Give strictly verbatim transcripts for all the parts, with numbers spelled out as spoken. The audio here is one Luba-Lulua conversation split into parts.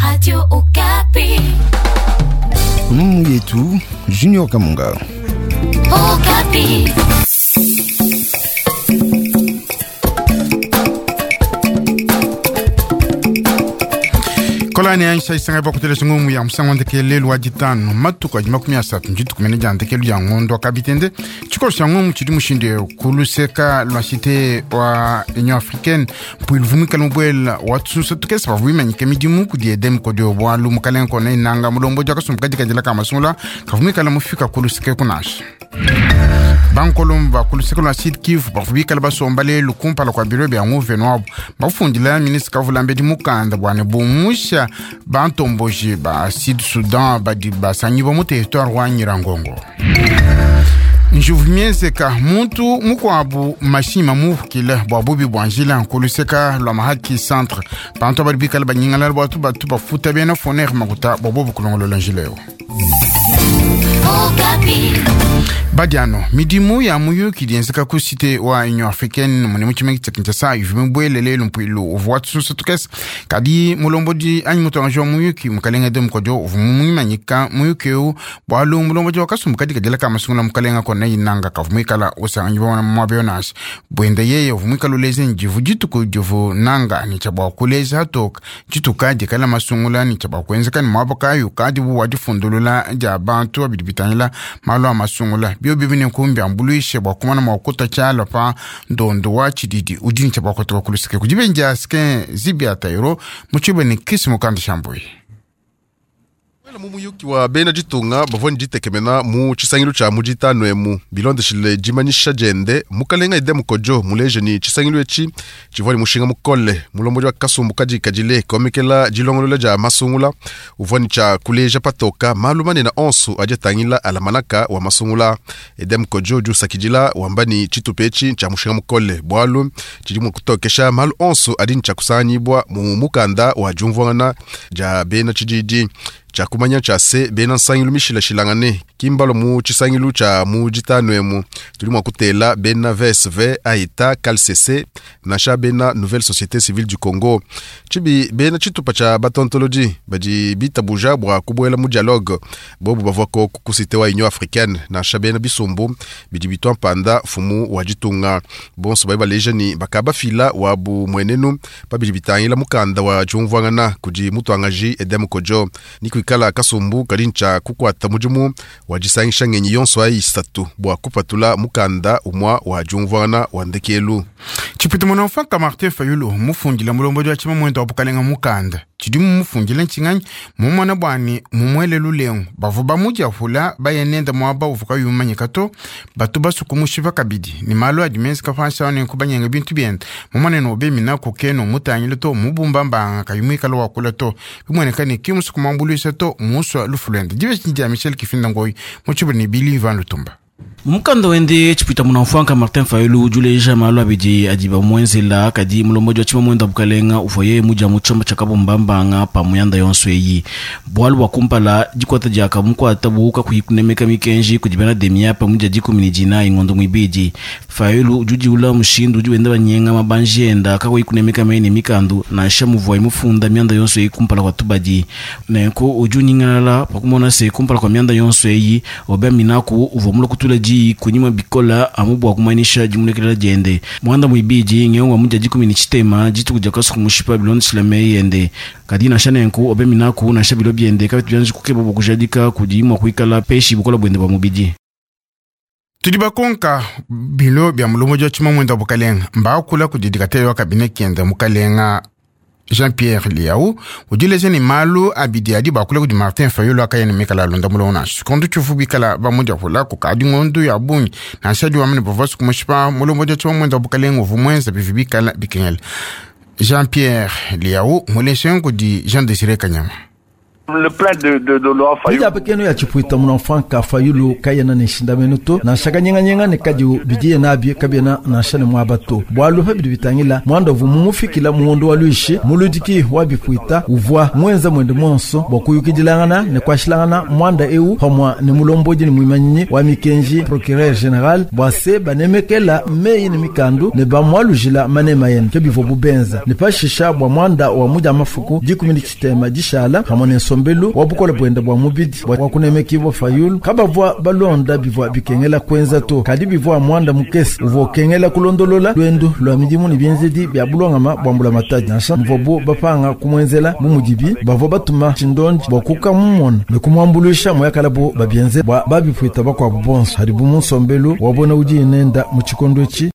Radio Okapi. Mungu yetu Junior Kamunga. Okapi. Kolani aisha isanga bakutele ngumu ya musango ndekele lwa ditano matuku adi makumi asatu njituku mene dia ndekelu ya ngondo akabitende tshikolo sha ngumu tshidi mushinde kuluseka lwa cité wa Union africaine mpuilu vumikala mubuela wa tsusa tukesa bavumimanyike midimu kudi edem kodio bwalu mukalenga kona inanga mulombo akasumbu kadikadila ka masungula kavumikala mufika kuluseke kunasha bankolomba kuluseke lwa Sud Kivu bavubikala basomba lelu kumpala kwa biro bya nguveno wabo bafundila ministre kavulambedi mukanda bwane bumusha bantomboji ba Sud Sudan badi basanyiwa mu territoire wa Nyirangongo. Njuvu mienzeka muntu mukwabu mashima muvukile bwa bubi bwa njila nkuluseka lwa mahaki centre bantu badi bikala banyingalala bwatu batu bafuta bena foner makuta bwa bobu kulongolola njila yo. Okapi. Badiano midimu ya muyuki dienzeka ku cité wa Union africaine mune mu tshimenga tshia Kinshasa ivi mibwele lelu mpuilu uvua watusunsa tukese kadi mulombodi anyi mutuangaji wa muyuki mukalenga de mukodio uvua mumumanyika muyuki eu bwalu mulombodi wakasumbu kadikadila ka masungula mukalenga kona inanga kavua muikala usanganyiwa muaba yo nansha bwenda yeye uvua muikala uleza njivu dituku divu nanga ni tshia bua kuleza hatoka dituka dikala masungula ni tshia bua kuenzeka ni muaba kayi kadi bu wa difundulula dia bantu abidi bitangila malu a masungula bio bibi ne nkumbi ambuluishe bua kumana mua kuta tshiala pa ndondo wa tshididi udi ne tshia bua kutoka kuluseke kudibenja asike zibi atayiro mutshibe ne kisi mukanda shambuyi. Wela mu muyuki wa bena ditunga bavua ne ditekemena mu tshisangilu tshia mu ditanu emu bilondeshile dimanyisha diende mukalenga Edem Kodjo muleje ni tshisangilu etshi tshivua ne mushinga mukole mulombodi wa kasumbu kadikadile komekela dilongolola dia masungula uvua ne tshia kuleja patoka malu manene onso adi atangila alamanaka wa masungula. Edem Kodjo udi usakidila wamba ni tshitupa etshi tshia mushinga mukole bualu tshidi mua kutokesha malu onso adi ne tshia kusanganyibua mu mukanda wa diumvuangana dia bena tshididi tshia kumanya tshia se bena nsangilu mishilashilangane kimbalo mu tshisangilu tshia mu ditanu emu tudi mua kutela bena V S V aita C A L C C nansha bena Nouvelle Société Civile du Congo tshibi bena tshitupa tshia batontoloji badi bitabuja bua kubuela mu dialogue bobu bavua ko ku cité wa Union africaine nansha bena bisumbu bidi bitwa mpanda fumu wa ditunga bonso bali baleja ni bakabafila wabu mwenenu pabidi bitangila mukanda wa diumvuangana kudi mutuangaji Edem Kodjo ni kuikala kasumbu kadi ntsha kukuata mudimu wa disangisha ngenyi yonso ayi isatu bua kupatula mukanda umwa wa diumvuangana wa ndekelu. Tshipita mwana Martin Fayulu mufundila mulombodi wa tshima mwenda wa bukalenga mukanda tshidi mumufundile ntshinganyi mumwana bwani mumuele lulengu bavua bamudiapula bayenenda muaba uvua kayi umanyika to batu basuku mushipa kabidi ni malu adi menzeka panshi awo nenku banyenga bintu biende mumwana nobemina kukeno mutangile to mubumba mbanga kayi muikala wakula to bimueneka ne ki musuku muambuluisha to musua lufu luende dibe dia Michel Kifinda Ngoyi mutshibuli ne Bili Ivan Lutumba. Mukanda wende tshipita munamfwanka Martin Fayulu ujuleja malu abidi adi bamuenzela kadi mulombodi wa tshima mwenda bukalenga uvuaye mudia mu tshomba tshia kabumbambanga pa muyanda yonso eyi bualu bua kumpala dikwata diaka mukwata buuka kuyi kunemeka mikenji kudi bena demiapa mudia dikumi ne dinayi ngondo muibidi. Fayulu udi udiula mushindu udi wenda banyenga mabanji enda kakuyi kunemeka mene mikandu nansha muvuaye mufunda mianda yonso eyi kumpala kua tubadi nenku udi unyingalala pakumona se kumpala kua mianda yonso eyi obia minaku uvua mula kutula di kunyima bikola amu bua kumanyisha dimulekelela diende mwanda muibidi ngeongwa mudia dikumi ne tshitema dituku dia kasuku mushipa bilondeshila meyi ende kadi nansha nenku obe minaku nansha bilo biende kabitu bianji kukeba bua kujadika kudi mua kuikala peshi bukola buende bua mubidi. Tudi bakonka bilo bia mulombodi wa tshima mwenda wa bukalenga mbakula kudi dikatele wa kabine kiende mukalenga Jean-Pierre Liao udileje ni malu abidi adi bakula kudi Martin Fayulu akayene mikala alonda mulongo nansha kondu tshifu bikala bamudia kula kukadi ngondu ya bungi nansha di wamene bavua sukumushipa mulombodi wa tshima mwenda wa bukalenga uvu mwenza bivi bikala bikengela. Jean-Pierre Liao muleshe kudi Jean Désiré Kanyama. Le plainte de, de, de Laurent Fayulu. Dijapekeno ya tshipwita munamfanka Fayulu kayena ne nshindamenu to nansha kanyenganyenge ne kadiu bidiye nabi kabiena nansha ne muaba to bualu pa bidi bitangila muanda uvua mumufikila muondo wa luishi muludiki wa bipwita uvua muenza mwende monso bua kuyukidilangana ne kuashilangana muanda eu pamua ne mulombodi ne muimanyinyi wa mikenji procureur général bua se banemekela meyi ne mikandu ne bamualujila manema yene ke bivua bubenza ne pashisha bua muanda wa mudia mafuku dikumi ne tshitema dishala pamua ne nsombelu wa bukola bwenda bua mubidi bua kunemekibwa Fayulu kabavua balonda bivua bikengela kwenza to kadi bivua muanda mukese uvua ukengela kulondolola lwendu lwa midimu ne bienzedi bia bulongama bua mbulamatadi nansha mvuabu bapanga kumwenzela bu mudibi bavua batuma tshindondi bua kukamumona ne kumuambuluisha muyakalabu babienze bua babipwita bakuabu bonso hadibu mu nsombelu wabona udi nenda mu tshikondo etshi.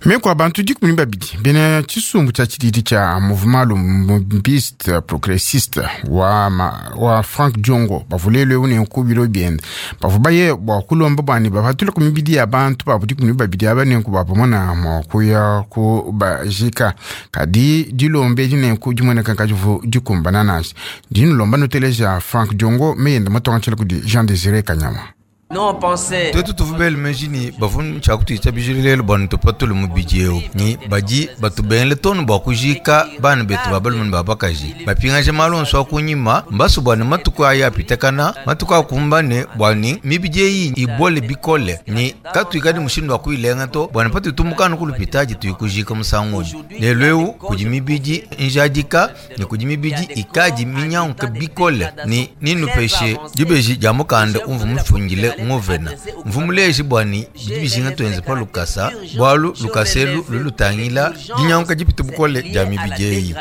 Meko abantu dikumi ne babidi bena tshisumbu tshia tshididi tshia mouvement lumbiste progressiste wa, ma, wa Frank Diongo bavulelwe une nkubilo biende bavua baye bua kulomba bwani bapatule ku mibidi ya bantu babu dikumi ne babidi aba nenku bapamona mua kuya ku bajika kadi dilomba edi nenku dimueneka kadivu dikumbana nansha dinulomba nuteleja Frank Diongo meyenda matonga tshila kudi Jean Désiré Kanyama. Twetu tuvubele menjini bavunu tshakutwita bijililelo bwanu tupatule mubidi eu ni badi batubengele tonu bua kujika bana betu ba balume ne ba bakaji bapingaje malu onso akunyima mbasu bwani matuku aya apitakana matuku akumbane bwani mibidi eyi ibole bikole ni katuikadi mushindu wa kuilenga to bwani patuitumukana kulupitaji tuikujika musangu lelo eu kudi mibidi njadika ni kudi mibidi ikadi minyanguke bikole ni ninupeshe dibeji dia mukanda umvu mufungile ngovena mvumuleji bwani bidi bijinga twenze pa lukasa bwalu lukaselu lulutangila dinyanguka dipita bukole dia mibidi eyi.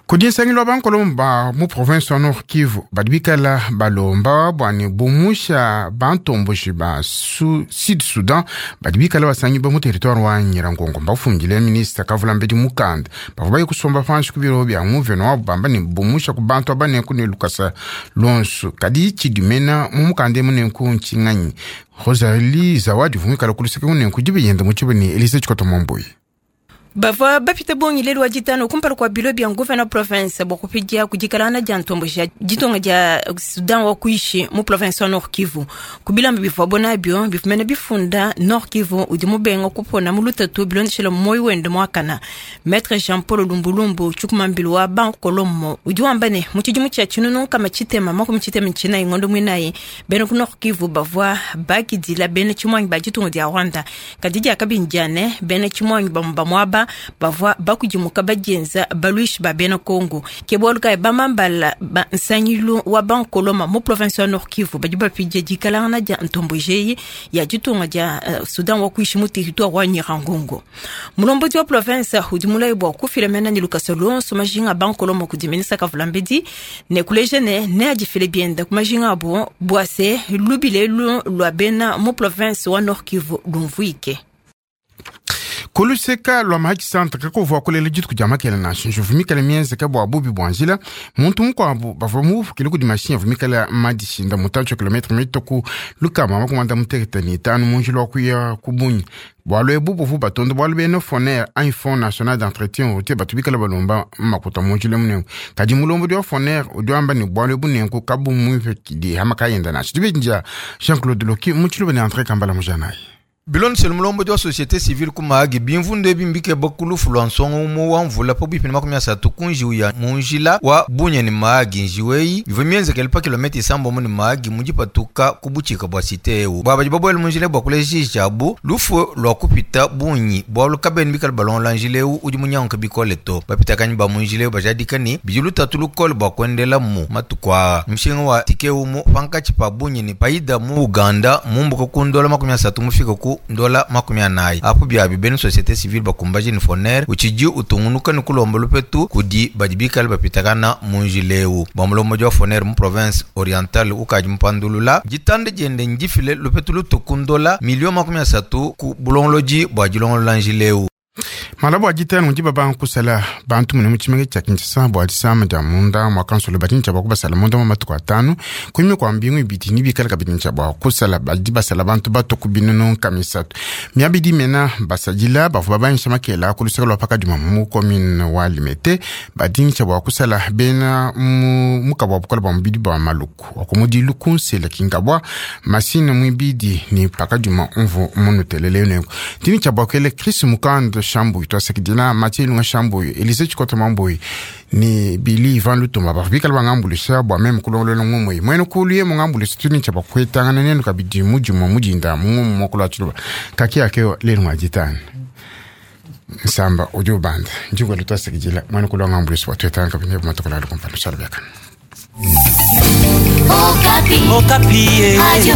Kudi nsangilo wa bankolomba mu province wa Nord Kivu badi bikala balomba bwani bumusha bantomboshi ba su, Sud Sudan badi bikala basangi ba mu territoire wa Nyirangongo mbafungile ministre kavula mbedi mukanda bavua baye kusomba panshi ku biro bia nguveno wabu bamba ne bumusha ku bantu aba nenku ne lukasa lonso kadi tshidimena mu mukanda emu nenku ntshinganyi Rosalie Zawadi vumikala kuluseke nenku dibiyenda mu tshibeni Elise Tshikoto Momboyi. Bavua bapita bongi lelu wa ditano kumpala kua bilo bia nguvena province bua kupidia kudikalana dia ntombo ja ditonga dia Sudan wa kuishi mu province wa Nord Kivu kubilamba bivua bonabio bifumene bifunda Nord Kivu udi mubenga kupona mu lutatu bilondeshela moyi wende muakana Maître Jean Paul Lumbulumbu tshikumambilu wa bankolomo udi wamba ne mu tshidimu tshia tshinunu kama tshitema makumi tshitema tshinayi ngondo muinayi bena ku Nord Kivu bavua bakidila bena tshimwangi ba ditunga dia Rwanda kadi dia kabindiane bena tshimwangi bamu bamuaba bavua bakudimuka badienza baluishi ba bena Kongo ke bualu kayi bamambala ba nsangilu wa bankoloma mu province wa Nord Kivu badi bapidia dikalangana dia ntombojeyi ya ditunga dia uh, Sudan wa kuishi mu territoire wa Nyirangongo. Mulombodi wa province udi mulayi bua kufila mena ne lukasa lonso majinga bankoloma kudi minisa kavulambedi ne kuleja ne ne adifile bienda ku majinga abo bua se lubile lu lua bena mu province wa Nord Kivu lumvuike. Kuluseka lwa mahaki centre kakuvua kulela dituku dia makela nansha njuvumikala mienzeka bua bubi bua njila muntu mukuabu bavua muvukile kudi mashinyi avumikala madishinda mutantshi wa kilometre mitoku lukama makumanda mutekete ne itanu mu njila wa kuya ku Bunya bualu ebu buvu batonda bualu bena FONER anyi Fonds national d'entretien routier batu bikala balomba makuta mu njila munenku kadi mulombodi wa FONER udi wamba ne bualu ebu nenku kabumuipekidi hamakayenda nansha dibedi Jean Claude Loki mu tshiluba ne André Kambala mujanayi. Bilondeshele mulombodi wa société civile kumahagi bimvundu ebi mbike bakulufu lwa nsongo umu wa mvula pabuipi ne makumi asatu ku njiwu ya munjila wa Bunya ne Mahagi. Njiwu eyi ivua mienzekele pa kilomita isambombo ne Mahagi mu dipatuka ku butshika bua cité ewu bua badi babuele munjila bua kuleja tshiabu lufu lua kupita bungi bualu kabeni bikala balongola njila ewu udi munyanguke bikole to bapitakanyi ba munjila ewu bajadika ne bidi lutatu lukole bua kuendela mu matuku aa mushinga wa tike umu pankatshi pa Bunya ne paida mu Uganda mumbuka ku ndola makumi asatu mufika ku ndola makumi anayi apo biabi bena société civile bakumbaji ni FONER utshidi utungunuka ni kulomba lupetu kudi badi bikale bapitakana mu njila ewu bua mulombodi wa FONER mu province orientale ukadi mupandulula ditanda diende ndifile lupetu lutu ku ndola milio makumi asatu ku bulongolodi bua dilongolola njila ewu. Malabo ajitano njiba bankusala bantu mune mu tshimenga tshia Kinshasa bua disama dia munda mua kansolo badi ntshia bua kubasala munda mu matuku atanu kunyima kua mbingu ibidi ni bikala kabidi ntshia bua kusala badi basala bantu bato ku binunu nkama isatu miabidi mena basadila bavua babanyisha makela ku luseke lua pakadima mu commune wa Limete badi ntshia bua kusala bena mu mukaba wa bukola bua mubidi bua Maluku wakumudi lukunsela kingabwa masine muibidi ni pakadima umvu munutelele nengo ndini tshia bua kuele Chris Mukando Shambuyi twasakidila Mathieu Ilunga Shambuyi Elise Tshikota Mambuyi ni Billy Ivan Lutumba bavua bikala bangambuluisha bua meme kulongolola ngumue mwene kulu ye mungambuluisha tuni tshia bua kuetangana nenu kabidi mudimue mudinda mungumu mokolo wa tshiluba kaki yakeo lelu ngwajitana nsamba udi ubanda njingwelu twasakidila mwene kulu wangambuluisha bua tuetangana kabidi ne bumatokolo alu kumpala lushala biakana. Okapi. Okapi. Radio.